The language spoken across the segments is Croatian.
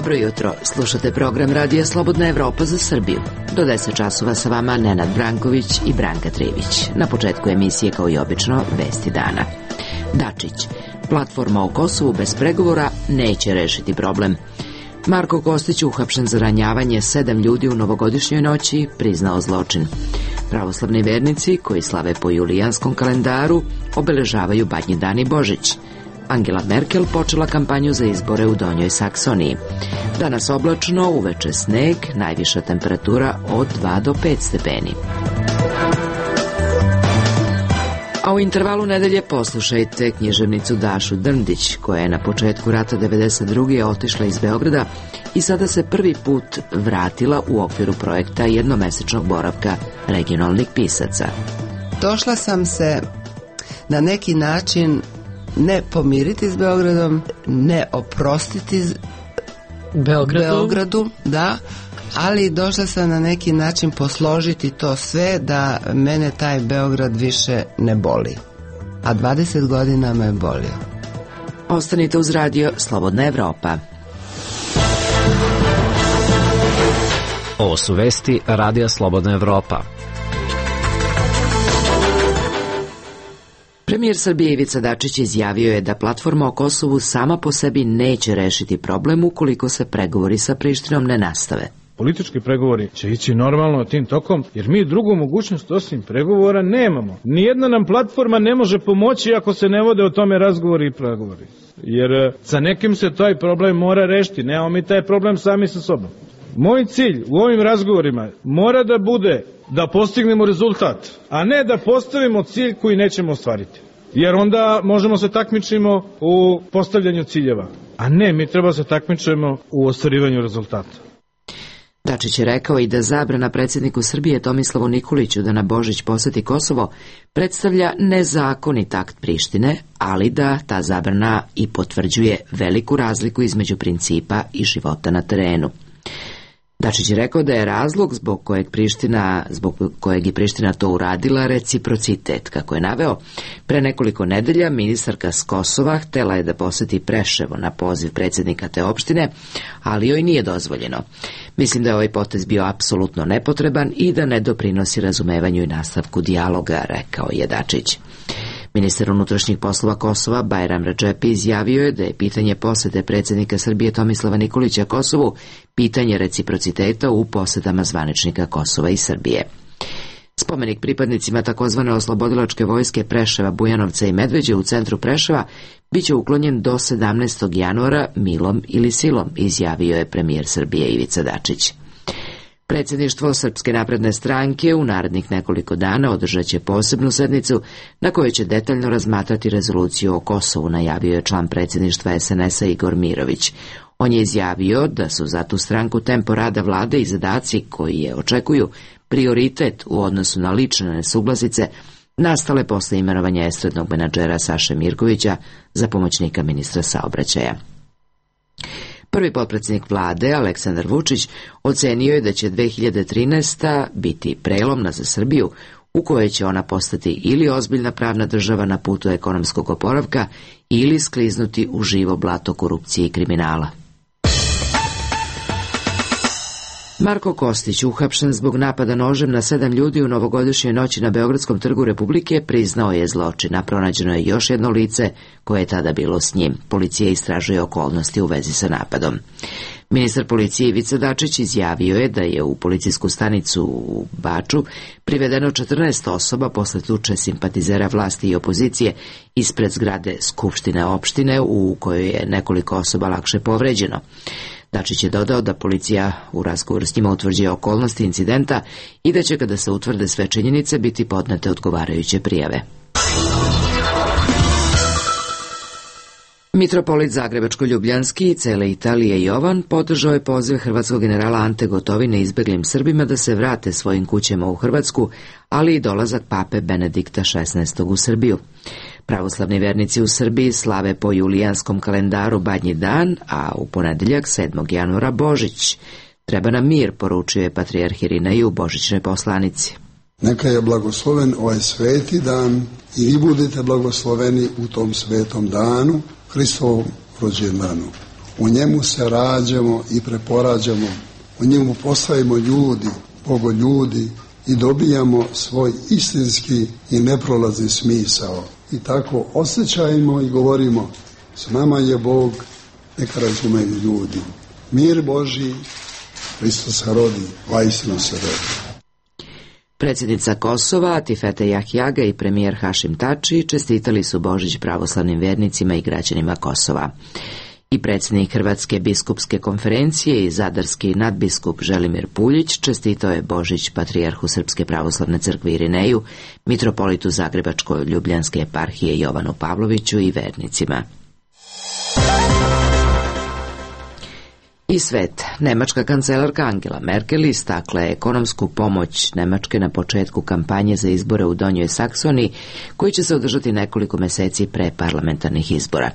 Dobro jutro, slušate program Radija Slobodna Evropa za Srbiju. Do 10 časova sa vama Nenad Branković i Branka Trivić. Na početku emisije, kao i obično, vesti dana. Dačić, platforma o Kosovu bez pregovora neće rešiti problem. Marko Kostić, uhapšen za ranjavanje 7 ljudi u novogodišnjoj noći, priznao zločin. Pravoslavni vernici, koji slave po julijanskom kalendaru, obeležavaju Badnji dan i Božić. Angela Merkel počela kampanju za izbore u Donjoj Saksoniji. Danas oblačno, uveče sneg, najviša temperatura od 2 do 5 stepeni. A u intervalu nedelje poslušajte književnicu Dašu Drndić, koja je na početku rata 1992. otišla iz Beograda i sada se prvi put vratila u okviru projekta jednomesečnog boravka regionalnih pisaca. Došla sam se na neki način ne pomiriti s Beogradom, ne oprostiti Beogradu, da, ali došla sam na neki način posložiti to sve da mene taj Beograd više ne boli. A 20 godina me bolio. Ostanite uz radio Slobodna Evropa. Ovo su vesti Radija Slobodna Evropa. Premijer Srbije Ivica Dačić izjavio je da platforma o Kosovu sama po sebi neće rešiti problem ukoliko se pregovori sa Prištinom ne nastave. Politički pregovori će ići normalno tim tokom, jer mi drugu mogućnost osim pregovora nemamo. Nijedna nam platforma ne može pomoći ako se ne vode o tome razgovori i pregovori. Jer sa nekim se taj problem mora rešiti, nemamo mi taj problem sami sa sobom. Moj cilj u ovim razgovorima mora da bude da postignemo rezultat, a ne da postavimo cilj koji nećemo ostvariti. Jer onda možemo se takmičimo u postavljanju ciljeva, a ne, mi treba se takmičimo u ostvarivanju rezultata. Dačić je rekao i da zabrana predsjedniku Srbije Tomislavu Nikoliću da na Božić poseti Kosovo predstavlja nezakonit akt Prištine, ali da ta zabrana i potvrđuje veliku razliku između principa i života na terenu. Dačić je rekao da je razlog zbog kojeg je Priština to uradila reciprocitet. Kako je naveo, pre nekoliko nedelja ministarka s Kosova htela je da poseti Preševo na poziv predsjednika te opštine, ali joj nije dozvoljeno. Mislim da je ovaj potez bio apsolutno nepotreban i da ne doprinosi razumevanju i nastavku dijaloga, rekao je Dačić. Ministar unutrašnjih poslova Kosova Bajram Redžepi izjavio je da je pitanje posete predsjednika Srbije Tomislava Nikolića Kosovu pitanje reciprociteta u posetama zvaničnika Kosova i Srbije. Spomenik pripadnicima takozvane oslobodilačke vojske Preševa, Bujanovca i Medveđe u centru Preševa biće uklonjen do 17. januara milom ili silom, izjavio je premijer Srbije Ivica Dačić. Predsjedništvo Srpske napredne stranke u narednih nekoliko dana održat će posebnu sednicu na kojoj će detaljno razmatrati rezoluciju o Kosovu, najavio je član predsjedništva SNS-a Igor Mirović. On je izjavio da su za tu stranku tempo rada vlade i zadaci koji je očekuju prioritet u odnosu na lične nesuglasice nastale posle imenovanja estradnog menadžera Saše Mirkovića za pomoćnika ministra saobraćaja. Prvi potpredsjednik vlade, Aleksandar Vučić, ocenio je da će 2013. biti prelomna za Srbiju, u kojoj će ona postati ili ozbiljna pravna država na putu ekonomskog oporavka ili skliznuti u živo blato korupcije i kriminala. Marko Kostić, uhapšen zbog napada nožem na 7 ljudi u novogodišnjoj noći na Beogradskom trgu Republike, priznao je zločin, a pronađeno je još jedno lice koje je tada bilo s njim. Policija istražuje okolnosti u vezi sa napadom. Ministar policije Ivica Dačić izjavio je da je u policijsku stanicu u Baču privedeno 14 osoba posle tuče simpatizera vlasti i opozicije ispred zgrade Skupštine opštine u kojoj je nekoliko osoba lakše povređeno. Dačić je dodao da policija u razgovoru s njima utvrđuje okolnosti incidenta i da će, kada se utvrde sve činjenice, biti podnete odgovarajuće prijave. Mitropolit Zagrebačko-Ljubljanski i cele Italije Jovan podržao je poziv hrvatskog generala Ante Gotovine izbeglim Srbima da se vrate svojim kućama u Hrvatsku, ali i dolazak pape Benedikta XVI. U Srbiju. Pravoslavni vernici u Srbiji slave po julijanskom kalendaru Badnji dan, a u ponedeljak 7. januara Božić. Treba nam mir, poručuje patrijarh Irinej u božićnoj poslanici. Neka je blagosloven ovaj sveti dan i vi budete blagosloveni u tom svetom danu, Hristovom rođendanu. U njemu se rađamo i preporađamo, u njemu postajemo ljudi, bogoljudi i dobijamo svoj istinski i neprolazni smisao. I tako osjećajmo i govorimo, s nama je Bog, neka razumeju ljudi. Mir Božji, Hristos se rodi, vaistinu se rodi. Predsjednica Kosova, Atifete Jahjaga i premijer Hašim Tači čestitali su Božić pravoslavnim vernicima i građanima Kosova. I predsjednik Hrvatske biskupske konferencije i zadarski nadbiskup Želimir Puljić čestitao je Božić patrijarhu Srpske pravoslavne crkve Irineju, mitropolitu Zagrebačko-ljubljanske eparhije Jovanu Pavloviću i vernicima. I svet. Nemačka kancelarka Angela Merkel istakla je ekonomsku pomoć Nemačke na početku kampanje za izbore u Donjoj Saksoniji, koji će se održati nekoliko meseci pre parlamentarnih izbora.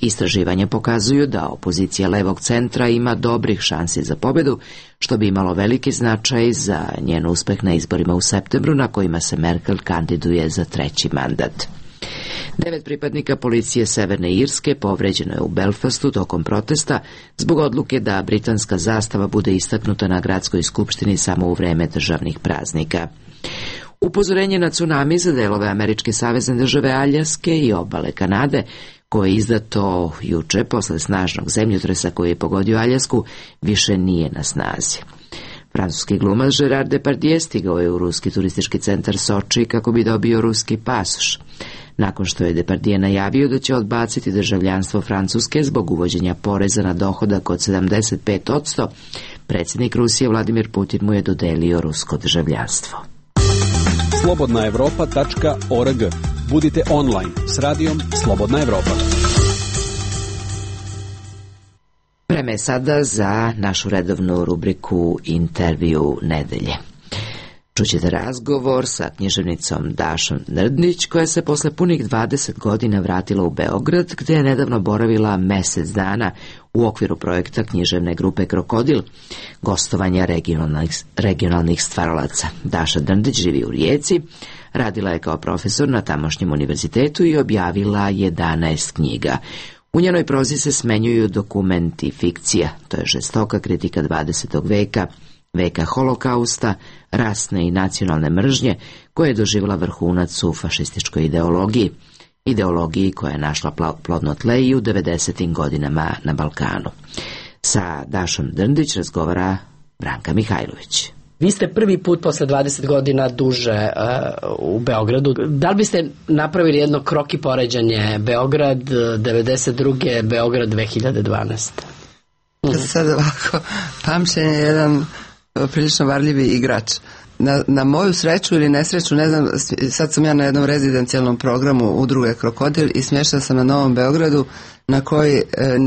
Istraživanja pokazuju da opozicija levog centra ima dobrih šansi za pobedu, što bi imalo veliki značaj za njen uspeh na izborima u septembru, na kojima se Merkel kandiduje za 3. mandat. 9 pripadnika policije Severne Irske povređeno je u Belfastu tokom protesta zbog odluke da britanska zastava bude istaknuta na gradskoj skupštini samo u vreme državnih praznika. Upozorenje na tsunami za delove američke savezne države Aljaske i obale Kanade, koje je izdato juče posle snažnog zemljotresa koji je pogodio Aljasku, više nije na snazi. Francuski glumac Gerard Depardieu stigao je u ruski turistički centar Soči kako bi dobio ruski pasoš. Nakon što je Depardieu najavio da će odbaciti državljanstvo Francuske zbog uvođenja poreza na dohodak od 75%, predsjednik Rusije Vladimir Putin mu je dodelio rusko državljanstvo. slobodnaevropa.org. Budite online s radijom Slobodna Evropa. Vreme je sada za našu redovnu rubriku Intervju nedelje. Čućete razgovor sa književnicom Dašom Nrdnić, koja se posle punih 20 godina vratila u Beograd, gde je nedavno boravila mesec dana u okviru projekta književne grupe Krokodil, gostovanja regionalnih stvaralaca. Daša Nrdnić živi u Rijeci, radila je kao profesor na tamošnjem univerzitetu i objavila 11 knjiga. U njenoj prozi se smenjuju dokumenti i fikcija, to je žestoka kritika 20. veka, veka holokausta, rasne i nacionalne mržnje, koja je doživjela vrhunac u fašističkoj ideologiji koja je našla plodno tle i u 90. godinama na Balkanu. Sa Dašom Nrdnić razgovara Branka Mihajlović. Vi ste prvi put posle 20 godina duže u Beogradu. Da li biste napravili jedno kroki poređanje Beograd 92. Beograd 2012? Sad ovako, pamćenje je jedan prilično varljivi igrač. Na moju sreću ili nesreću, ne znam, sad sam ja na jednom rezidencijalnom programu udruge Krokodil i smještena sam na Novom Beogradu, na koji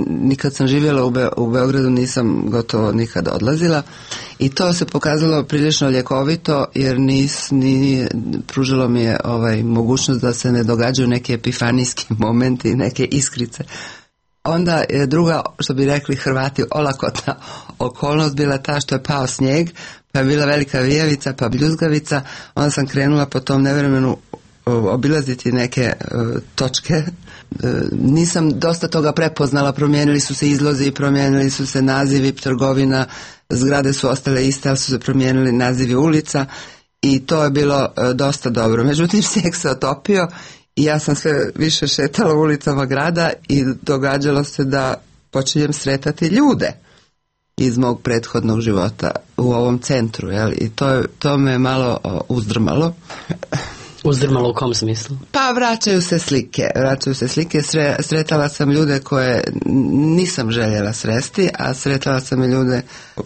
nikad sam živjela u Beogradu nisam gotovo nikad odlazila, i to se pokazalo prilično ljekovito, jer pružilo mi je mogućnost da se ne događaju neki epifanijski momenti, neke iskrice. Onda je druga, što bi rekli Hrvati, olakotna okolnost bila ta što je pao snijeg, pa je bila velika vijevica, pa bljuzgavica. Onda sam krenula po tom nevremenu obilaziti neke točke. Nisam dosta toga prepoznala, promijenili su se izlozi, promijenili su se nazivi trgovina, zgrade su ostale iste, ali su se promijenili nazivi ulica i to je bilo dosta dobro. Međutim, snijeg se otopio i ja sam sve više šetala ulicama grada i događalo se da počinjem sretati ljude iz mog prethodnog života u ovom centru, jel? I to me malo uzdrmalo. Uzdrmalo u kom smislu? Pa vraćaju se slike. Sretala sam ljude koje nisam željela sresti, a sretala sam i ljude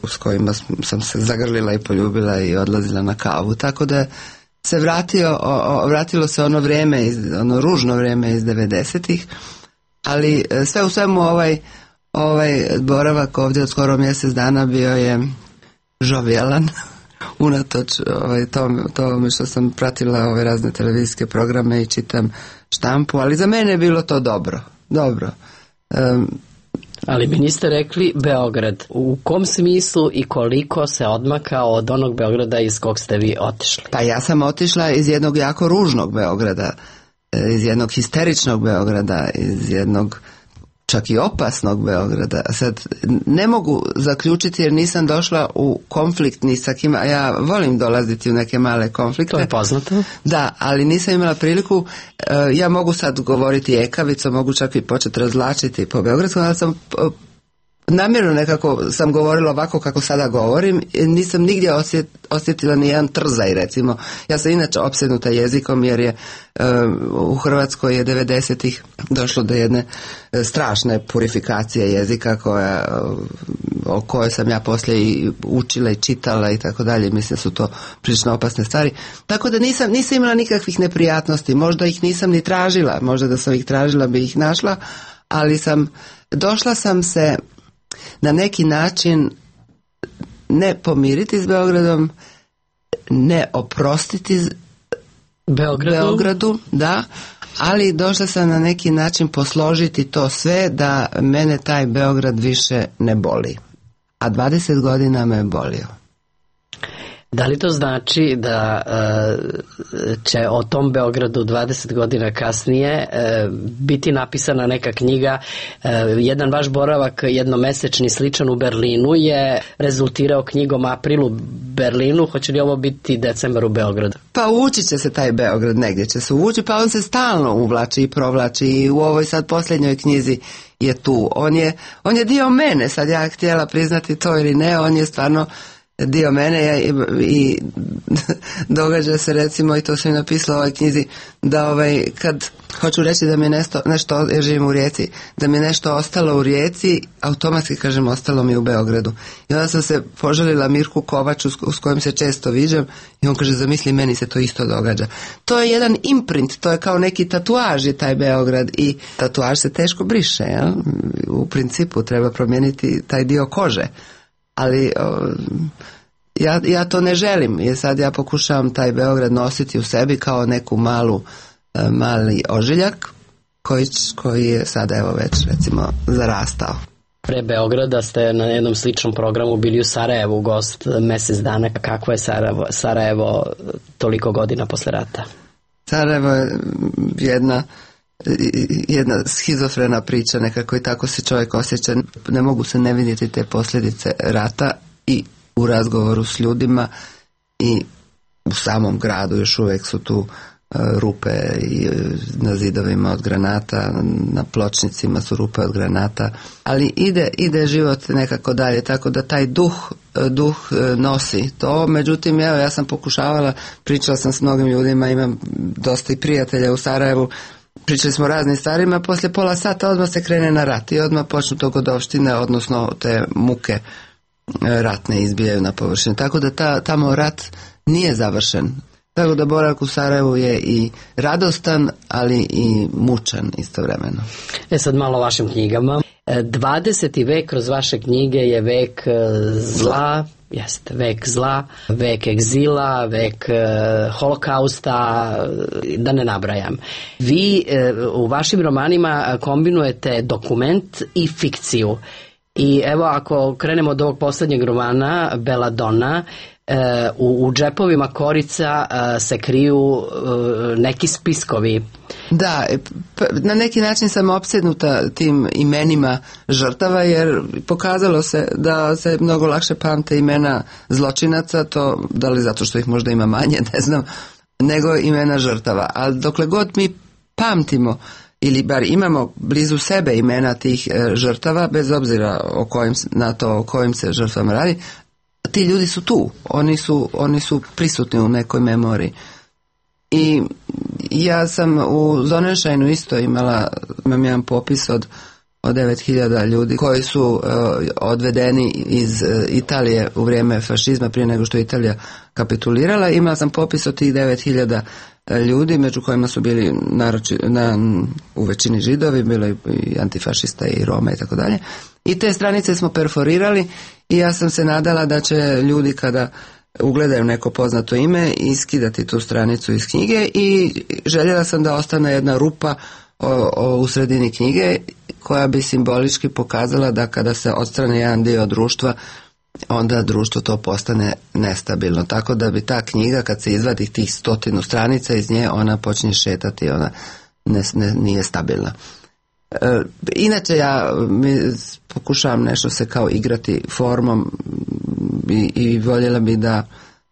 s kojima sam se zagrlila i poljubila i odlazila na kavu. Tako da se vratilo se ono vrijeme, ono ružno vrijeme iz 90-ih, ali sve u svemu ovaj boravak ovdje od skoro mjesec dana bio je žovijalan, unatoč tome što sam pratila ove razne televizijske programe i čitam štampu, ali za mene je bilo to dobro. Ali mi niste rekli Beograd. U kom smislu i koliko se odmakao od onog Beograda iz kog ste vi otišli? Pa ja sam otišla iz jednog jako ružnog Beograda, iz jednog histeričnog Beograda, iz jednog čak i opasnog Beograda. Sad ne mogu zaključiti jer nisam došla u konflikt ni sa kim, a ja volim dolaziti u neke male konflikte. To je poznato. Da, ali nisam imala priliku. Ja mogu sad govoriti ekavicom, mogu čak i početi razlačiti po beogradskom, ali sam namjerno nekako sam govorila ovako kako sada govorim, nisam nigdje osjetila ni jedan trzaj, recimo. Ja sam inače opsednuta jezikom jer je u Hrvatskoj je 90-ih došlo do jedne strašne purifikacije jezika o kojoj sam ja poslije i učila i čitala i tako dalje. Mislim da su to prilično opasne stvari. Tako da nisam imala nikakvih neprijatnosti, možda ih nisam ni tražila, možda da sam ih tražila bi ih našla, ali došla sam se na neki način ne pomiriti s Beogradom, ne oprostiti Beogradu, da, ali došla sam na neki način posložiti to sve da mene taj Beograd više ne boli. A 20 godina me bolio. Da li to znači da će o tom Beogradu 20 godina kasnije biti napisana neka knjiga? Jedan vaš boravak jednomesečni sličan u Berlinu je rezultirao knjigom April u Berlinu. Hoće li ovo biti decembar u Beogradu? Pa uvući će se taj Beograd, negdje će se uvući, pa on se stalno uvlači i provlači i u ovoj sad posljednjoj knjizi je tu. On je dio mene, sad ja htjela priznati to ili ne, on je stvarno dio mene i događa se, recimo, i to sam i napisala u ovoj knjizi, da kad hoću reći da mi je nešto, jer živim u Rijeci, da mi je nešto ostalo u Rijeci, automatski kažem ostalo mi u Beogradu. I onda sam se požalila Mirku Kovaču s kojim se često viđam i on kaže, zamisli, meni se to isto događa. To je jedan imprint, to je kao neki tatuaž je taj Beograd i tatuaž se teško briše, jel? U principu treba promijeniti taj dio kože. Ali ja to ne želim, jer sad ja pokušavam taj Beograd nositi u sebi kao neku mali ožiljak koji je sada evo već recimo zarastao. Pre Beograda ste na jednom sličnom programu bili u Sarajevu gost mjesec dana. Kako je Sarajevo toliko godina posle rata? Sarajevo je jedna schizofrena priča, nekako i tako se čovjek osjeća. Ne mogu se ne vidjeti te posljedice rata i u razgovoru s ljudima i u samom gradu još uvijek su tu rupe i na zidovima od granata, na pločnicima su rupe od granata, ali ide život nekako dalje, tako da taj duh nosi to. Međutim, ja sam pokušavala, pričala sam s mnogim ljudima, imam dosta i prijatelja u Sarajevu, pričali smo o raznim stvarima, poslije pola sata odmah se krene na rat i odmah počnu dogodovštine, odnosno te muke ratne izbijaju na površinu. Tako da tamo rat nije završen. Tako da boravak u Sarajevu je i radostan, ali i mučan istovremeno. Sad malo o vašim knjigama. 20. vek kroz vaše knjige je vek zla, jeste, vek zla, vek egzila, vek holokausta, da ne nabrajam. Vi u vašim romanima kombinujete dokument i fikciju. I evo, ako krenemo od ovog posljednjeg romana, Belladonna, u džepovima korica se kriju neki spiskovi. Da, na neki način sam opsednuta tim imenima žrtava, jer pokazalo se da se mnogo lakše pamte imena zločinaca, to da li zato što ih možda ima manje, ne znam, nego imena žrtava. A dokle god mi pamtimo ili bar imamo blizu sebe imena tih žrtava, bez obzira na to o kojim se žrtvama radi, ti ljudi su tu, oni su prisutni u nekoj memoriji. I ja sam u Zonenšajnu isto imam jedan popis od 9.000 ljudi koji su odvedeni iz Italije u vrijeme fašizma, prije nego što je Italija kapitulirala. Imala sam popis od tih 9.000 ljudi, među kojima su bili u većini Židovi, bilo i antifašista i Roma i tako dalje. I te stranice smo perforirali i ja sam se nadala da će ljudi kada ugledaju neko poznato ime iskidati tu stranicu iz knjige i željela sam da ostane jedna rupa u sredini knjige, koja bi simbolički pokazala da kada se odstrane jedan dio društva, onda društvo to postane nestabilno. Tako da bi ta knjiga, kad se izvadi tih 100 stranica iz nje, ona počne šetati, ona nije stabilna. Inače ja pokušavam nešto se kao igrati formom i voljela bi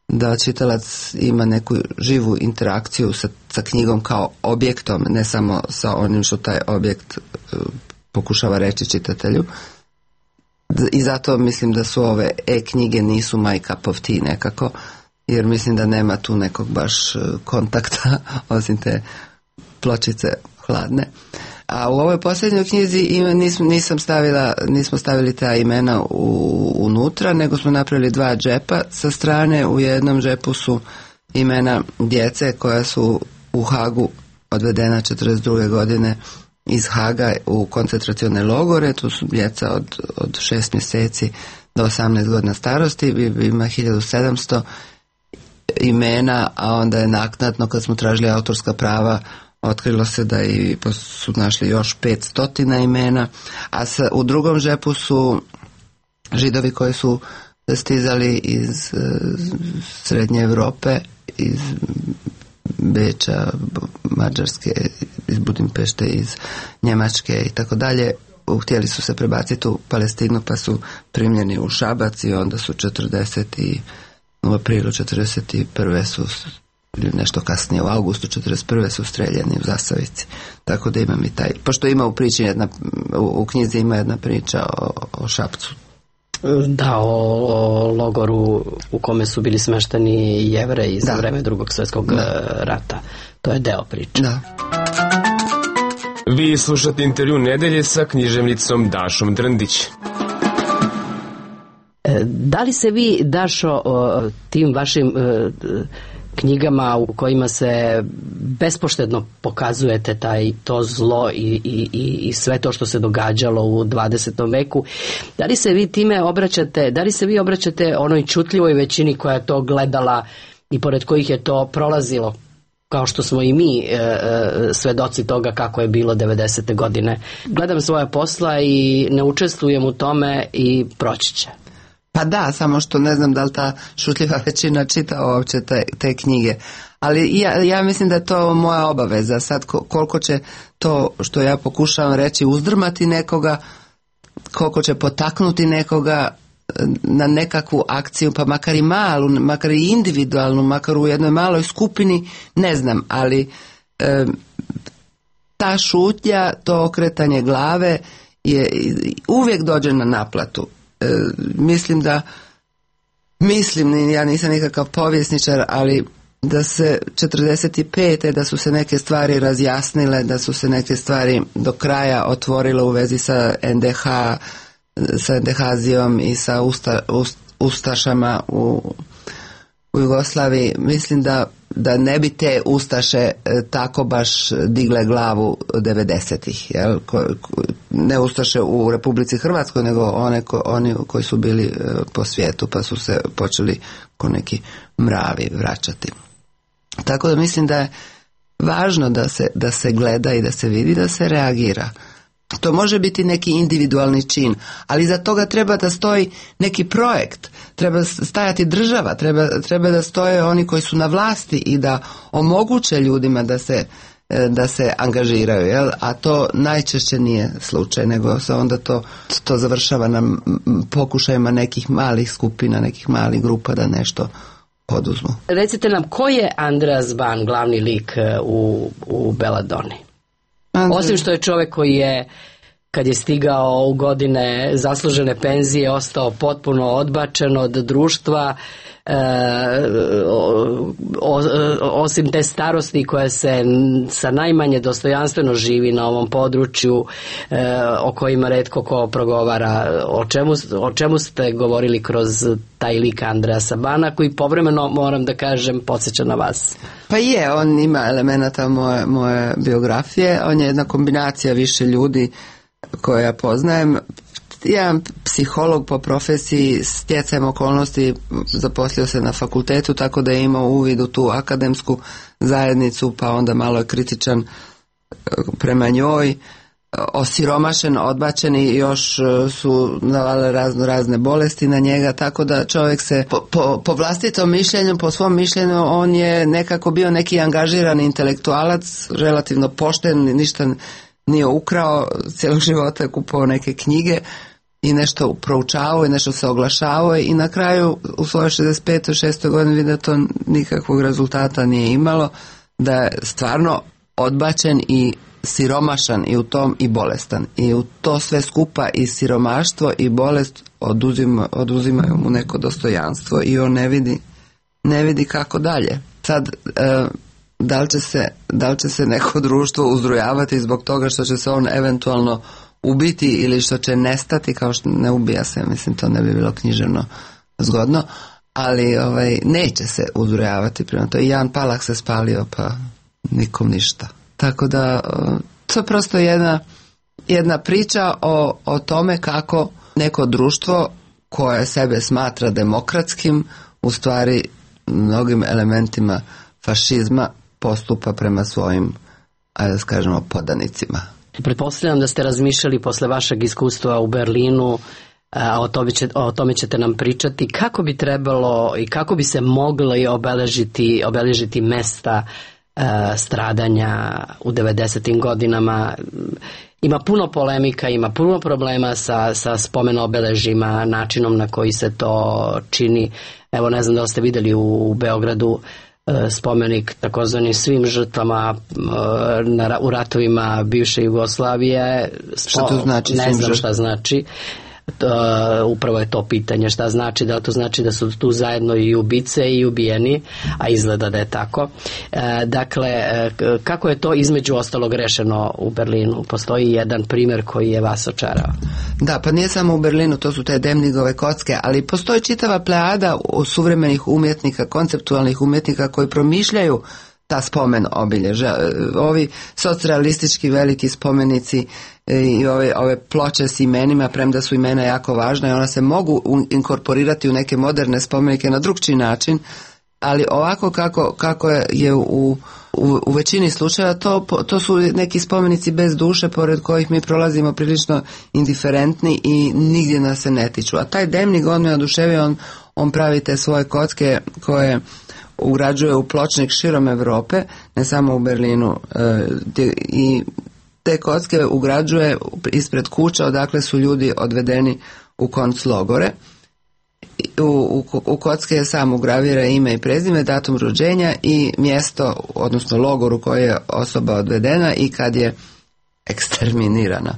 da čitalac ima neku živu interakciju sa knjigom kao objektom, ne samo sa onim što taj objekt pokušava reći čitatelju. I zato mislim da su ove e-knjige nisu my cup of tea nekako, jer mislim da nema tu nekog baš kontakta osim te pločice hladne. A u ovoj posljednjoj knjizi nismo stavili ta imena unutra, nego smo napravili 2 džepa sa strane. U jednom džepu su imena djece koja su u Hagu odvedena 42. godine iz Haga u koncentracione logore. Tu su djeca od 6 mjeseci do 18 godina starosti. Ima 1700 imena, a onda je naknadno, kad smo tražili autorska prava, otkrilo se da su našli još 500 imena, a u drugom džepu su Židovi koji su stizali iz Srednje Europe, iz Beča, Mađarske, iz Budimpešte, iz Njemačke i tako dalje. Htjeli su se prebaciti u Palestinu, pa su primljeni u Šabac i onda su u aprilu 41. su, ili nešto kasnije u augustu 41. su streljani u Zasavici. Tako da imam i taj, pošto ima u priči u knjizi ima jedna priča o Šapcu. Da, o logoru u kome su bili smešteni Jevreji za vreme Drugog svjetskog rata. To je deo priče. Da. Vi slušate intervju nedelje sa književnicom Dašom Drndić. Da li se vi, Dašo, tim vašim knjigama u kojima se bespoštedno pokazujete to zlo i sve to što se događalo u 20. veku, da li se vi time obraćate onoj čutljivoj većini koja je to gledala i pored kojih je to prolazilo, kao što smo i mi svedoci toga kako je bilo 90. godine? Gledam svoja posla i ne učestvujem u tome i proći će. Pa da, samo što ne znam da li ta šutljiva većina čita uopće te knjige. Ali ja mislim da je to moja obaveza. Sad koliko će to što ja pokušavam reći uzdrmati nekoga, koliko će potaknuti nekoga na nekakvu akciju, pa makar i malu, makar i individualnu, makar u jednoj maloj skupini, ne znam, ali ta šutnja, to okretanje glave uvijek dođe na naplatu. Mislim, ja nisam nikakav povjesničar, ali da se 45. da su se neke stvari razjasnile, da su se neke stvari do kraja otvorile u vezi sa NDH-zijom i sa ustašama u Jugoslaviji. Mislim da ne bi te ustaše tako baš digle glavu 90-ih. Ne ustaše u Republici Hrvatskoj, nego oni koji su bili po svijetu, pa su se počeli ko neki mravi vraćati. Tako da mislim da je važno da se gleda i da se vidi, da se reagira. To može biti neki individualni čin, ali za toga treba da stoji neki projekt, treba stajati država, treba da stoje oni koji su na vlasti i da omoguće ljudima da se angažiraju, jel? A to najčešće nije slučaj, nego se onda to završava na pokušajima nekih malih skupina, nekih malih grupa da nešto poduzmu. Recite nam, ko je Andreas Ban, glavni lik u Beladoni? Osim što je čovjek koji je, kad je stigao u godine zaslužene penzije, ostao potpuno odbačen od društva, osim te starosti koja se sa najmanje dostojanstveno živi na ovom području, o kojima retko ko progovara. O čemu ste govorili kroz taj lik Andreasa Bana, koji povremeno, moram da kažem, podsjeća na vas? Pa on ima elemenata moje biografije, on je jedna kombinacija više ljudi koje ja poznajem. Jedan psiholog po profesiji, stjecajem okolnosti zaposlio se na fakultetu, tako da je imao uvid u tu akademsku zajednicu, pa onda malo je kritičan prema njoj, osiromašen, odbačen i još su navale razne bolesti na njega, tako da čovjek se po vlastitom mišljenju, po svom mišljenju, on je nekako bio neki angažiran intelektualac, relativno pošten, ništa nije ukrao, cijelog života je kupovao neke knjige i nešto proučavao i nešto se oglašavao i na kraju u svojoj 65. 6. godini vidi da to nikakvog rezultata nije imalo, da je stvarno odbačen i siromašan i u tom i bolestan. I u to sve skupa i siromaštvo i bolest oduzimaju mu neko dostojanstvo i on ne vidi kako dalje. Sad, da li će se neko društvo uzrujavati zbog toga što će se on eventualno ubiti ili što će nestati, kao što ne ubija se, mislim to ne bi bilo književno zgodno, ali neće se uzrujavati prema to. I Jan Palach se spalio, pa nikom ništa. Tako da to je prosto jedna priča o tome kako neko društvo koje sebe smatra demokratskim u stvari mnogim elementima fašizma postupa prema svojim, ajde da kažemo, podanicima. Pretpostavljam da ste razmišljali posle vašeg iskustva u Berlinu, a o tome ćete nam pričati, kako bi trebalo i kako bi se mogli obeležiti mesta stradanja u 90. godinama. Ima puno polemika, ima puno problema sa spomen obeležima, načinom na koji se to čini. Evo, ne znam da li ste vidjeli u Beogradu spomenik takozvani svim žrtvama u ratovima bivše Jugoslavije. Šta to znači? Ne znam šta znači. Upravo je to pitanje, šta znači, da li to znači da su tu zajedno i ubice i ubijeni, a izgleda da je tako. Dakle, kako je to između ostalog rešeno u Berlinu? Postoji jedan primjer koji je vas očarao. Da, pa nije samo u Berlinu, to su te Demnigove kocke, ali postoji čitava plejada suvremenih umjetnika, konceptualnih umjetnika koji promišljaju ta spomen obilježja. Ovi socrealistički veliki spomenici i ove ploče s imenima, premda su imena jako važna i ona se mogu inkorporirati u neke moderne spomenike na drugčiji način, ali ovako kako je u većini slučajeva to su neki spomenici bez duše pored kojih mi prolazimo prilično indiferentni i nigdje nas se ne tiču. A taj Demnig, on me oduševio, on pravi te svoje kocke koje ugrađuje u pločnik širom Europe, ne samo u Berlinu, i te kocke ugrađuje ispred kuća odakle su ljudi odvedeni u konclogore. U kocke je samo ugravira ime i prezime, datum rođenja i mjesto, odnosno logor u koji je osoba odvedena i kad je eksterminirana.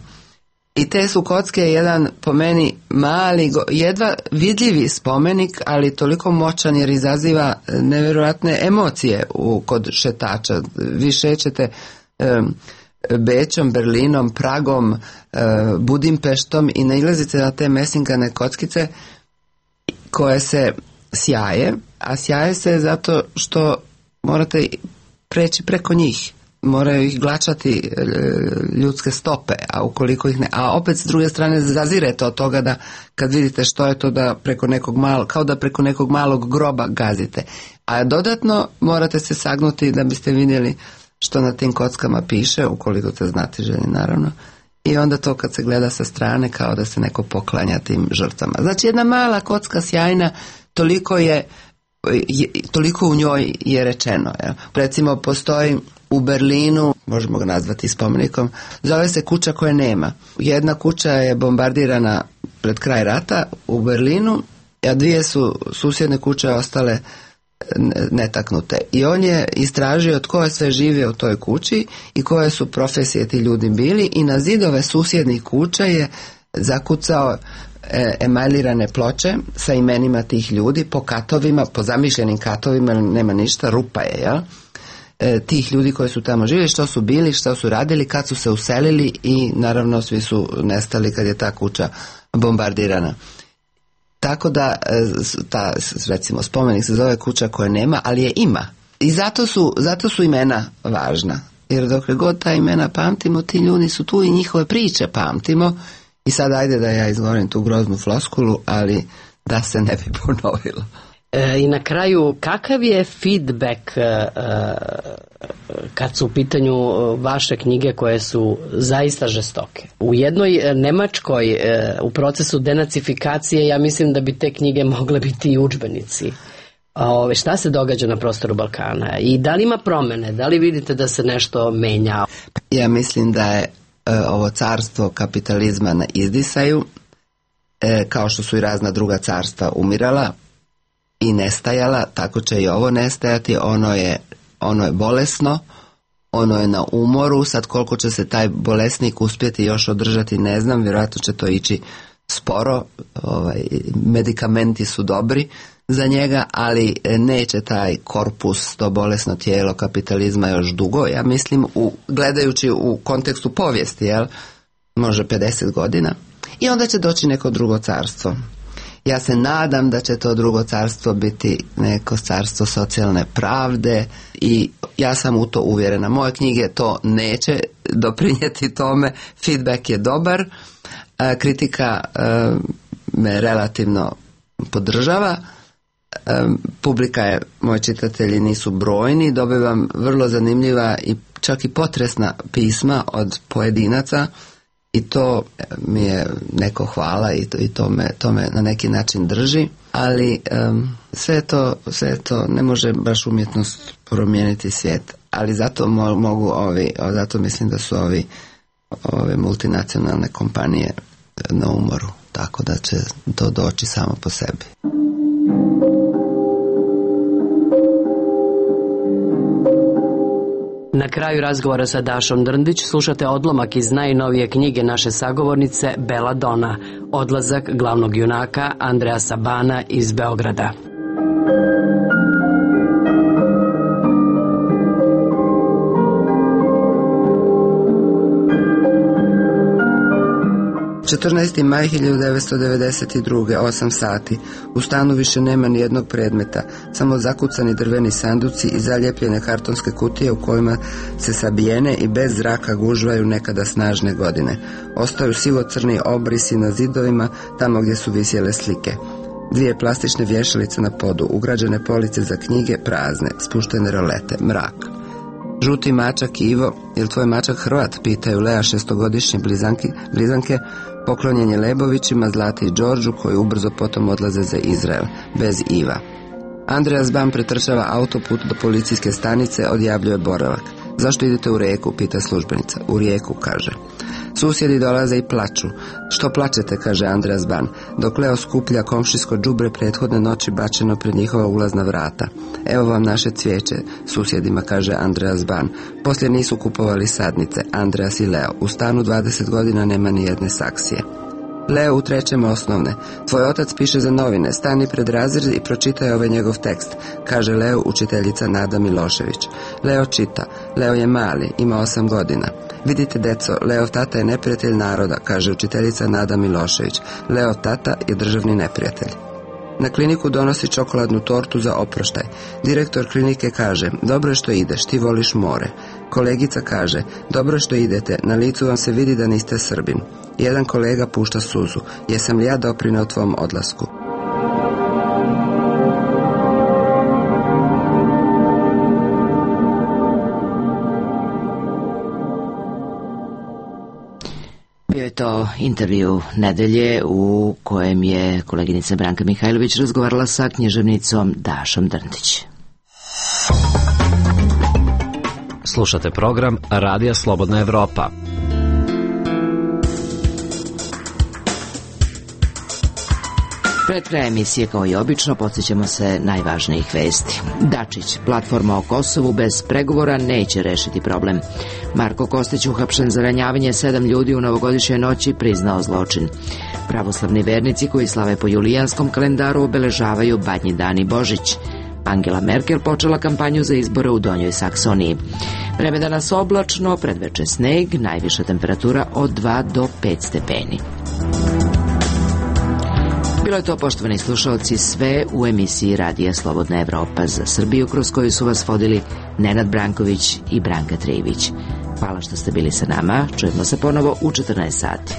I te su kocke jedan, po meni, mali, jedva vidljivi spomenik, ali toliko moćan jer izaziva nevjerojatne emocije kod šetača. Vi šećete Bećom, Berlinom, Pragom, Budimpeštom i nailazite na te mesinkane kockice koje se sjaje, a sjaje se zato što morate preći preko njih. Moraju ih glačati ljudske stope, a ukoliko ih ne, a opet s druge strane zazirete od toga da kad vidite što je to da preko nekog kao da preko nekog malog groba gazite. A dodatno morate se sagnuti da biste vidjeli što na tim kockama piše, ukoliko ste znatiželjni naravno. I onda to kad se gleda sa strane kao da se neko poklanja tim žrtvama. Znači jedna mala kocka sjajna, toliko u njoj je rečeno. Ja. Recimo postoji u Berlinu, možemo ga nazvati spomenikom, zove se kuća koje nema. Jedna kuća je bombardirana pred kraj rata u Berlinu, a dvije su susjedne kuće ostale netaknute. I on je istražio tko je sve živio u toj kući i koje su profesije ti ljudi bili i na zidove susjednih kuća je zakucao emaljirane ploče sa imenima tih ljudi po katovima, po zamišljenim katovima, nema ništa, rupa je, jel? Tih ljudi koji su tamo živjeli, što su bili, što su radili, kad su se uselili i naravno svi su nestali kad je ta kuća bombardirana. Tako da recimo spomenik se zove kuća koje nema, ali je ima. I zato su imena važna. Jer dokle god ta imena pamtimo, ti ljudi su tu i njihove priče pamtimo. I sad ajde da ja izgovorim tu groznu floskulu, ali da se ne bi ponovilo. I na kraju, kakav je feedback kad su u pitanju vaše knjige koje su zaista žestoke? U jednoj Nemačkoj u procesu denacifikacije ja mislim da bi te knjige mogle biti i udžbenici. Šta se događa na prostoru Balkana i da li ima promene, da li vidite da se nešto menja? Ja mislim da je ovo carstvo kapitalizma na izdisaju, kao što su i razna druga carstva umirala i nestajala, tako će i ovo nestajati. Ono je bolesno, ono je na umoru. Sad koliko će se taj bolesnik uspjeti još održati ne znam, vjerojatno će to ići sporo, medikamenti su dobri za njega, ali neće taj korpus, to bolesno tijelo kapitalizma još dugo, ja mislim, gledajući u kontekstu povijesti, može 50 godina, i onda će doći neko drugo carstvo. Ja se nadam da će to drugo carstvo biti neko carstvo socijalne pravde i ja sam u to uvjerena. Moje knjige to neće doprinijeti tome, feedback je dobar, kritika me relativno podržava, publika je, moji čitatelji nisu brojni, dobivam vrlo zanimljiva i čak i potresna pisma od pojedinaca i to mi je neko hvala i to me na neki način drži, ali sve to ne može baš umjetnost promijeniti svijet, ali zato zato mislim da su ove multinacionalne kompanije na umoru, tako da će to doći samo po sebi. Na kraju razgovora sa Dašom Drndić slušate odlomak iz najnovije knjige naše sagovornice Bela Dona, Odlazak glavnog junaka Andreja Sabana iz Beograda. ...14. maj 1992. 8 sati. U stanu više nema ni jednog predmeta, samo zakucani drveni sanduci i zalijepljene kartonske kutije u kojima se sabijene i bez zraka gužvaju nekada snažne godine. Ostaju sivo-crni obrisi na zidovima tamo gdje su visjele slike. 2 plastične vješalice na podu, ugrađene police za knjige prazne, spuštene rolete, mrak. Žuti mačak Ivo, jel tvoj mačak Hrvat, pitaju Lea 6-godišnje blizanke, poklonjen je Lebovićima, Zlati i Đorđu, koji ubrzo potom odlaze za Izrael, bez Iva. Andreja Zban pretrčava autoput do policijske stanice, odjavljuje boravak. Zašto idete u Rijeku, pita službenica. U Rijeku, kaže. Susjedi dolaze i plaču. Što plačete, kaže Andreja Zban, dok Leo skuplja komšijsko đubre prethodne noći bačeno pred njihova ulazna vrata. Evo vam naše cvijeće, susjedima, kaže Andreja Zban. Poslije nisu kupovali sadnice, Andreas i Leo. U stanu 20 godina nema ni jedne saksije. Leo u 3. osnovne. Tvoj otac piše za novine, stani pred razred i pročitaj ovaj njegov tekst, kaže Leo učiteljica Nada Milošević. Leo čita. Leo je mali, ima 8 godina. Vidite, deco, Leov tata je neprijatelj naroda, kaže učiteljica Nada Milošević. Leo tata je državni neprijatelj. Na kliniku donosi čokoladnu tortu za oproštaj. Direktor klinike kaže, dobro je što ideš, ti voliš more. Kolegica kaže, dobro je što idete, na licu vam se vidi da niste Srbin. Jedan kolega pušta suzu, jesam li ja doprineo tvom odlasku? Bio je to intervju nedelje u kojem je koleginica Branka Mihajlović razgovarala sa književnicom Dašom Drndić. Slušate program Radija Slobodna Evropa. Pred kraj emisije, kao i obično, podsjećamo se najvažnijih vesti. Dačić, platforma o Kosovu bez pregovora neće rešiti problem. Marko Kostić, uhapšen za ranjavanje 7 ljudi u novogodišnjoj noći, priznao zločin. Pravoslavni vernici koji slave po julijanskom kalendaru obeležavaju Badnji dan i Božić. Angela Merkel počela kampanju za izbore u Donjoj Saksoniji. Vreme danas oblačno, predveče sneg, najviša temperatura od 2 do 5 stepeni. Bilo je to, poštovani slušalci, sve u emisiji Radija Slobodna Evropa za Srbiju, kroz koju su vas vodili Nenad Branković i Branka Trijević. Hvala što ste bili sa nama, čujemo se ponovo u 14 sati.